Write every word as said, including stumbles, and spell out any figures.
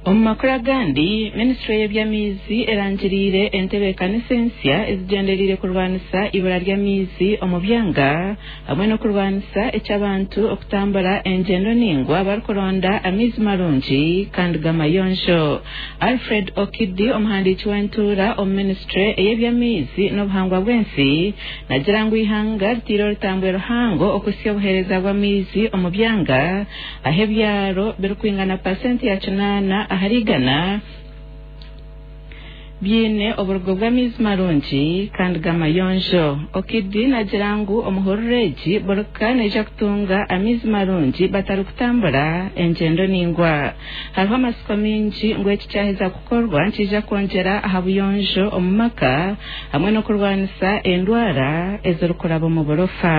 Omu makuru agandi, minisitule y'eby'amaizi erangiriire entebeekanisa ensya ezigyendereire kurwanisa ibura ry'amaizi omu byanga hamwe n'okurwanisa eky'abantu okutambura engyendo ningwa barikuronda amaizi marungi kandi gamayonjo. Alfred Okidi, omuhandiiki w'entuura omu minisitule ey'eby'amaizi n'obuhangwa bw'ensi, nagira ngu eihanga ritiire orutambwe ruhango okuhitsya obuheereza bw'amaizi omu byanga aho ebyaro birikwingana pasenti ya kinaana ahari igana biine oburugo bw'amaizi marungi kandi gamayonjo. Okidi nagira ngu omuhururu egi burika neija kutunga amaizi marungi batarikutambura engyendo ningwa. Hariho amatsiko mingi ngu eki kyaheza kukorwa nikiija kwongyera aha buyonjo omu maka hamwe n'okurwanisa endwara ezirikuraba omu burofa.